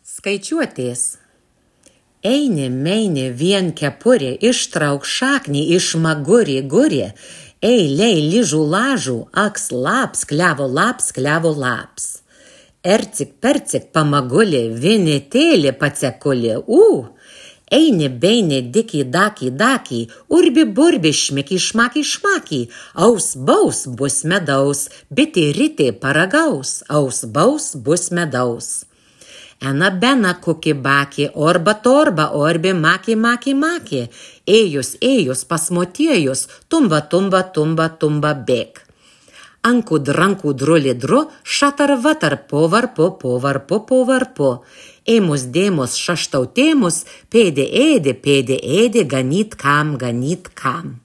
Skaičiuotės. Eini, meini, vien kepurė, ištrauk šaknį, išmagurė, gurė, eiliai, lyžų, lažų, aks, laps, klevo, laps. Ercik, percik, pamagulė, vinitėlė, pacekulė, Eini, beini, diki, daki, urbi, burbi, šmiki, šmaki, aus, baus, bus medaus, biti, riti, paragaus, aus, baus, bus medaus. Ena, bena, kuki, baki, orba, torba, orbi, maki, ėjus, pasmotiejus, tumba, bėk. Ankud, rankud, drulidru, šatar, vatar, povarpo. Ėmus, dėmus, šaštautėmus, pėdė, ėdė, ganyt kam.